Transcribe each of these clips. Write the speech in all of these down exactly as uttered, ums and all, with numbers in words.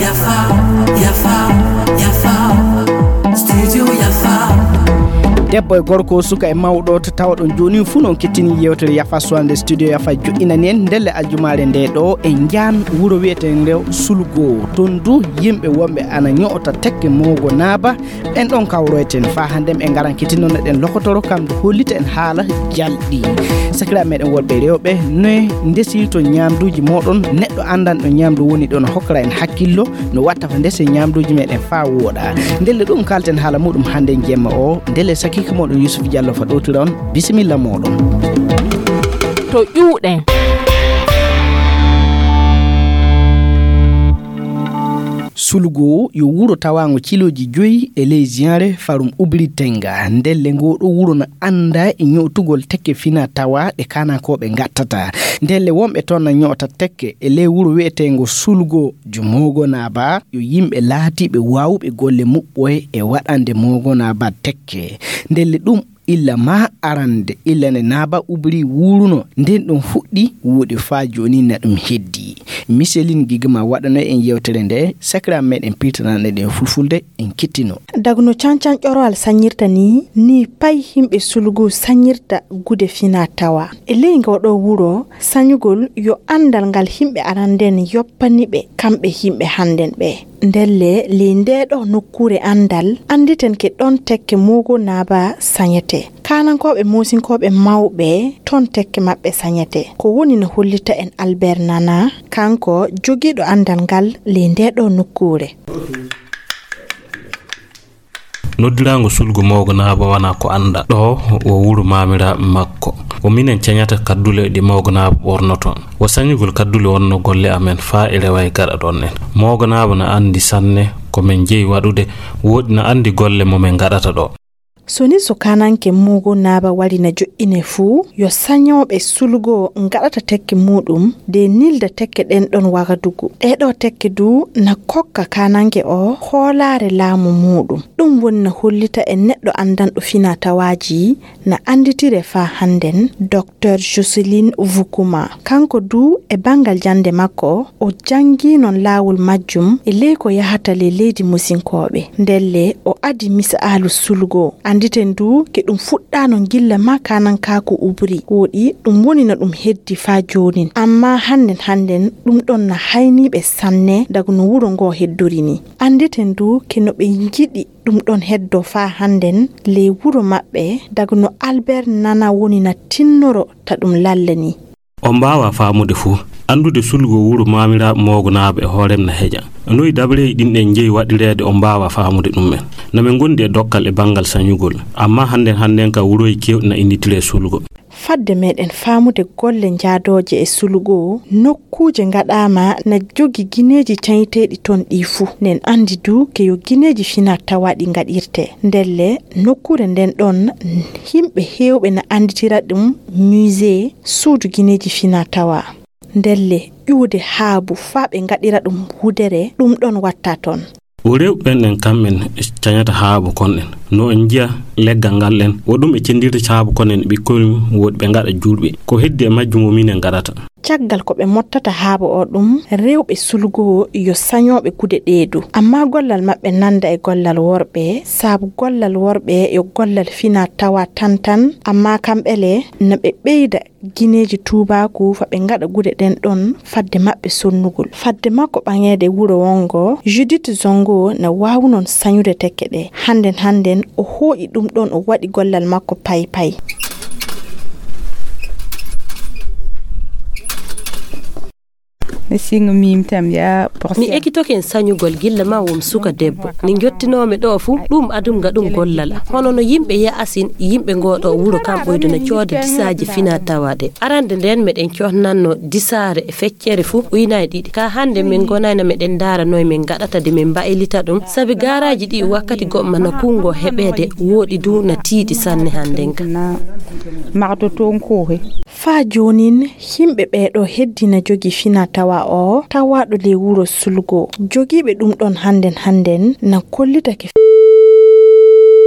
Yafa, yafa, yafa. Studio yafa. Debbo e gorko, suka e mawɗo, to tawɗon jooni fuu noon kettini yeewtere Yafa Suwande Studio Yafa joɗɗinani en ndelle aljumaare nde ɗo e njaan wuro wiyeteende Sulgo. Toon du yimɓe wonɓe ana ño'ota tekke moogo naaba, ɓen ɗon kawroyten faa hannde en ngaran kettinnoɗen lokotoro kam ndu hollita en haala jalɗi. Sakiraaɓe meɗen worɓe e rewɓe, noy ndesirton ñaamduuji mooɗon? Neɗɗo anndanɗo ñaamdu woni ɗon hokkora en hakkillo no watta fa ndese ñaamduuji meɗen faa wooɗa. Ndelle ɗum kalten haala muɗum hannde jemma o, ndelle sakiike mooɗon Yusuf Jallo fa ɗowtira on. Bisimilla mooɗon. To ƴuuɗen. Sulgo yo wuro tawaango cilooji joyi e ley Ziyanre farum Ubri Tenga. Ndelle ngoo ɗoo wuro no anndaa e ño'otugol tekke fina tawa ɗe kaanankooɓe ngattata. Ndelle wonɓe toon na ño'ota tekke e ley wuro wi'eteengo Sulgo Jumoogo Naaba yo yimɓe laatiiɓe waawuɓe golle muɓɓoye e waɗande Moogo Naaba tekke. Ndelle ɗum illa maa arande, illa nde Naaba Ubri wuuruno, nden ɗum fuɗɗi wuuɗi faa jooni na ɗum heddi. Miselin Gigma waɗano en yewtere nde, sakiraaɓe meɗen piirtanande ɗen fulfulde, en kittino. Daga no cancan ƴorowal sañirta ni, ni pay yimɓe Sulgo sañirta gude fina tawa. E ley ngo ɗoo wuro, sañugol yo anndal ngal yimɓe arande nden yoppani ɓe, kamɓe yimɓe hannden ɓe. Ndelle, ley ndee ɗoo nokkuure anndal, annditen ke ɗon tekke Moogo Naaba sañete. Kaanankooɓe moosinkooɓe mawɓe, ton tekke maɓɓe sañete. Ko woni no hollita en Albert Nana, kanko jogiiɗo anndal ngal ley ndee ɗoo nokkuure. Noddiraango Sulgo Moogo Naaba wanaa ko annda. Ɗoo wo wuro maamiraaɓe makko. Ko minen cañata kaddule ɗe Moogo Naaba ɓornoton. Wo sañugol kaddule wonno golle amen faa e rewa e gaɗa ɗon en. Moogo Naaba na anndi sanne ko men jeyi waɗude, wooɗi na anndi golle mo men ngaɗata ɗoo. So ni so kaananke Moogo Naaba wari na joɗɗine fuu, yo sañooɓe Sulgo ngaɗata tekke muuɗum, de nilda tekke ɗen ɗon Wagadugu. Ɗee ɗoo tekke du na kokka kaananke o hoolaare laamu muuɗum. Ɗum woni na hollita en neɗɗo anndanɗo fina tawaaji na annditire faa hannden, Docteur Jocelyne Vukuma. Kanko du e banngal jannde makko, o janngi non laawol majjum e ley ko yahata ley leydi Musinkooɓe. Ndelle o adi misaalu Sulgo. Annditen du ke ɗum fuɗɗaano gilla maa kaanankaaku Ubri. Wooɗi ɗum woni no ɗum heddi faa joonin. Ammaa hannden hannden ɗum ɗon na hayniiɓe sanne daga no wuro ngoo heddori ni. Annditen du ke no ɓe njiɗi ɗum ɗon heddo faa hannden ley wuro maɓɓe, daga no Albert Nana woni na tinnoro ta ɗum lalla ni. On mbaawaa faamude fuu. Anndude Sulgo wuro maamiraaɓe Moogonaaɓe e hoorem na heƴa. Noy dabareeji ɗin ɗen njeyi waɗireede on mbaawaa faamude ɗum'en. Na men ngondi e dokkal e banngal sañugol, ammaa hannden hannden ka wurooji keewɗi na innditiree Sulgo. Fadde meɗen faamude golle njaadooje e Sulgo, nokkuuje ngaɗaama na jogi gineeji cañiteeɗi ton ɗii fuu. Nen anndi du ke yo gineeji fina tawaaɗi ngaɗirte. Ndelle, nokkuure nden ɗon, yimɓe heewɓe na annditira ɗum musée, suudu gineeji fina tawaa. Ndelle, ƴuwde haabu faa ɓe ngaɗira ɗum wudere, ɗum ɗon watta ton. Wo rewɓe ɓen ɗen kam'en cañata haabu kon ɗen. No en njiya leggal ngal ɗen, wo ɗum ɓe cendirta haabu kon ɗen ɓikkoy mum, woodi ɓe ngaɗa juulɓe. Ko heddi e majjum wo minen ngaɗata. Caggal ko ɓe mottata haabu o ɗum, rewɓe Sulgo yo sañooɓe gude ɗee du. Ammaa gollal maɓɓe nanda e gollal worɓe, sabu gollal worɓe yo gollal fina tawa tan tan, ammaa kamɓe le na ɓe ɓeyda gineeji tuubaaku fa ɓe ngaɗa gude ɗen ɗon fadde maɓɓe sonnugol. Fadde makko ɓaŋeede wuro wonngo, Judith Zongo na waawu non sañude tekke ɗe. Hannden hannden o hooƴi ɗum ɗon o waɗi gollal makko pay pay. Singo mim tam ya. Mi ekitoken sañugol gilla ma wom suka debbo. Ni njottinoomi ɗo fuu, ɗum adum ngaɗum gollal. Hono no yimɓe ya'asin, yimɓe ngoo ɗo wuro kam ɓoydo na cooda disaaji fina tawa ɗe. Arande nden meɗen cohnanno disaare e feccere fuu uynaay ɗiɗi. Ka hannde min ngonayno meɗen ndaara noy min ngaɗata de min mbaylita ɗum. Sabi gaaraaji ɗi wakkati goɗma na kunngo heɓeede wooɗi du na tiiɗi sanne hannden ka. Magto toon koohe. Faa joonin, yimɓe ɓee ɗoo heddii na jogii fina tawa o, tawaaɗo ley wuro Sulgo. Jogiiɓe ɗum ɗon hannden hannden na kollitake.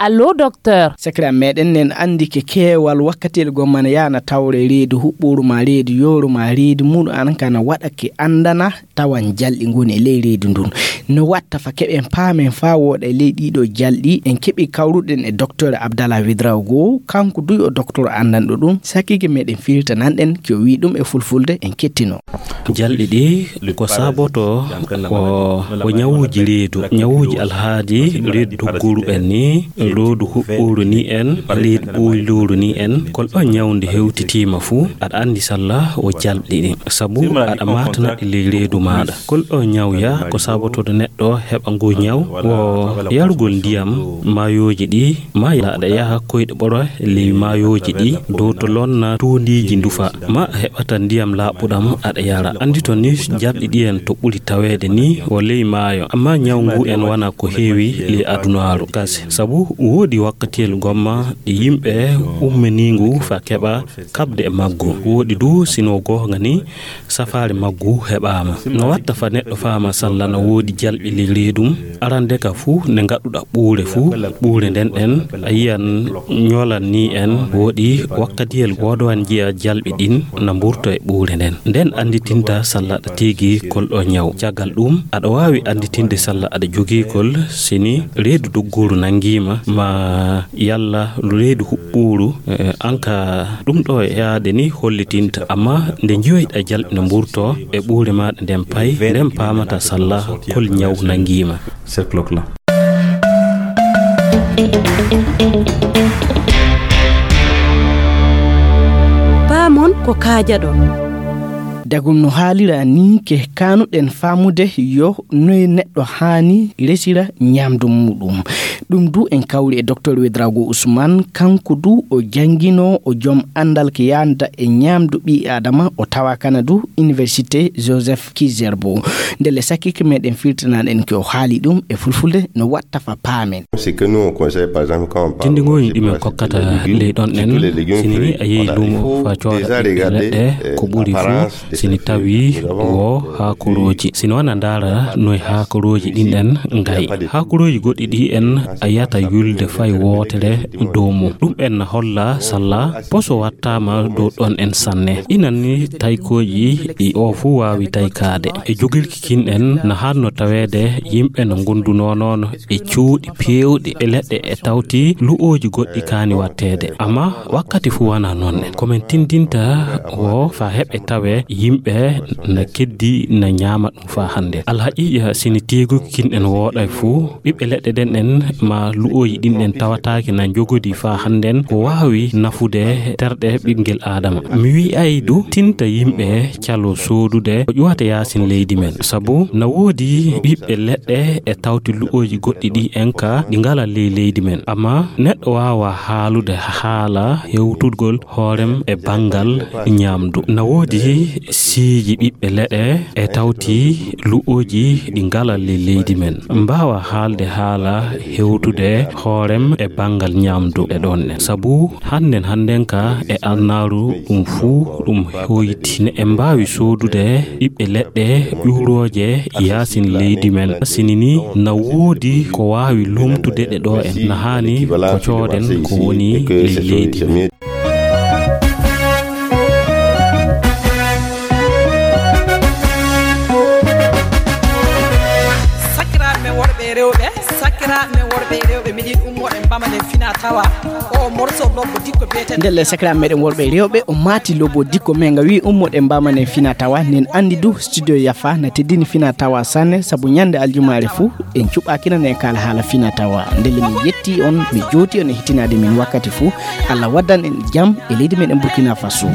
Allo, docteur. Sakiraaɓe meɗen, nen anndi ke keewal wakkatiel gomma ne yaana tawre reedu huɓɓuru ma reedu yooru ma reedu muɗum an kana waɗa ke anndana tawan jalɗi ngoni e ley reedu ndun. No watta fa keɓen paamen fa wooɗa e ley ɗiɗo jalɗi, en keɓi kawruɗen e docteur Abdallah Ouedraogo, kanko duy o docteur anndanɗo ɗum, sakike meɗen firtananɗen ke o wi ɗum e fulfulde, en kettino. Jalɗi ɗi ko saboto o, o ñawuuji reedu, ñawuuji alhaali reedu doggoru ɓen ni, reedu huɓɓuru ni en, reedu ɓoyluru ni en, kol ɗo ñawde hewtitiima fuu, aɗa anndi salla o jalɗi ɗi. Sabu aɗa maatana ɗi ley reedu maaɗa. Kol ɗo ñawya ko sabotoɗo neɗɗo heɓa ngu ñaw, o yarugol ndiyam maayooji ɗi, ma aɗa yaha koyɗe ɓoro ley maayooji ɗi, dow to lonna tuundiiji ndufa, ma a heɓata ndiyam laaɓuɗam aɗa yara. Anndito ni jalɗi ɗi en to ɓuri taweede ni o ley maayo, amma ñaw ngu en wana ko heewi ley adunaaru. Kasi, sabu woodi wakkatiyel gomma ɗi yimɓe ummini ngu fa keɓa kaɓde e maggu. Woodi du sino goonga ni safaare maggu heɓaama. No watta fa neɗɗo faama salla no woodi jalɓi ley reedum. Arande ka fuu nde ngaɗuɗa ɓuure fuu, ɓuure nden ɗen a yiyan ñolan ni en. Woodi wakkatiyel goodowan njiya jalɓi ɗin na mburto e ɓuure nden. Nden annditinta salla aɗa tigi kol ɗo ñaw. Caggal ɗum, aɗa waawi annditinde salla aɗa jogii kol sini reedu doggoru nangiima ma yalla reedu huɓɓuru, eh, an ka ɗum ɗo yaade ni hollitinta. Amma nde njiyoyɗa jalɓi no mburto e ɓuure maaɗa nden pay, nden paamata salla kol ñaw nangiima. Cette cloque-là. Paamon ko kaajaɗon. Dagum no haalira ni ke kanuɗen faamude yo noye neɗɗo haani resira ñamdu muɗum. Ɗum du en kawri e docteur Ouedraogo Ousmane, kanko du o janngino o joom anndal ke yanda e ñamdu ɓii Adama, o tawa kana du Université Joseph Kizerbo. Ndelle sakike meɗen firtanaɗen ke o haali ɗum e fulfulde no watta fa paamen. C'est que nous, on conseille, par exemple, quand on parle Tindi ngoni ɗi min kokkata ley ɗon ɗen, sini ni a yehi luumo fa cooda ɓiɓɓe leɗɗe, ko ɓuri fuu sini tawi wo haakorooji. Sini wana ndaara noye haakorooji ɗin ɗen ngayi. Haakorooji goɗɗi ɗi en a yata yulde fay wootere dow mum. Ɗum en na holla salla poso wattaama dow ɗon en sanne. Inan ni taykooji ɗi o fuu waawi taykaade. E jogirki kin en na hanno taweede yimɓe no ngondunoo noon e cuuɗi peewɗi e leɗɗe e tawti lu'ooji goɗɗi kaani watteede. Amma wakkati fuu wana noon en. Ko men tindinta wo fa heɓe tawe yimɓe na keddi na ñaama ɗum fa hannde. Alhaqiiqa sini teeguki kin en wooɗay fuu, ɓiɓɓe leɗɗe ɗen ɗen ma lu'ooji ɗin ɗen tawataake na njogodi fa hannden ko waawi nafude terɗe ɓinngel Aadama. Mi wi'ay du tinta yimɓe calo soodude ko ƴuwata yaasin leydi men. Sabu na woodi ɓiɓɓe leɗɗe e tawti lu'ooji goɗɗi ɗi en ka ɗi ngala ley leydi men. Amma neɗɗo waawa haalude haala hewtugol hoorem e banngal ñaamdu. Na woodi siiji ɓiɓɓe leɗɗe e tawti lu'ooji ɗi ngala ley leydi men. Mbaawa haalde haala hewtude hoorem e banngal ñaamdu e ɗon ɗen. Sabu hannden hannden ka e alnaaru ɗum fuu ɗum hoyti. Ne en mbaawi soodude ɓiɓɓe leɗɗe ƴuurooje yaasin leydi men. Sini ni na woodi ko waawi lomtude ɗe ɗo en. Na haani ko cooden ko woni ley leydi men. Sakiraaɓe men worɓe e rewɓe, sakiraaɓe men worɓe e rewɓe, miɗin ummoɗen mbamanen fina tawa. O morceau lobbo dikko biyeten. Ndelle sakiraaɓe meɗen worɓe e rewɓe, o maati lobbo dikko men nga wi ummoɗen mbamanen fina tawa, nen andi du studio Yafa na teddini fina tawa sanne, sabu ñande aljumaare fuu en cuɓaaki nan en kaala haala fina tawa. Ndelle mi yetti on, mi jooti on e hitinaade min wakkati fuu. Allah waddan en jam e leydi meɗen Burkina Faso.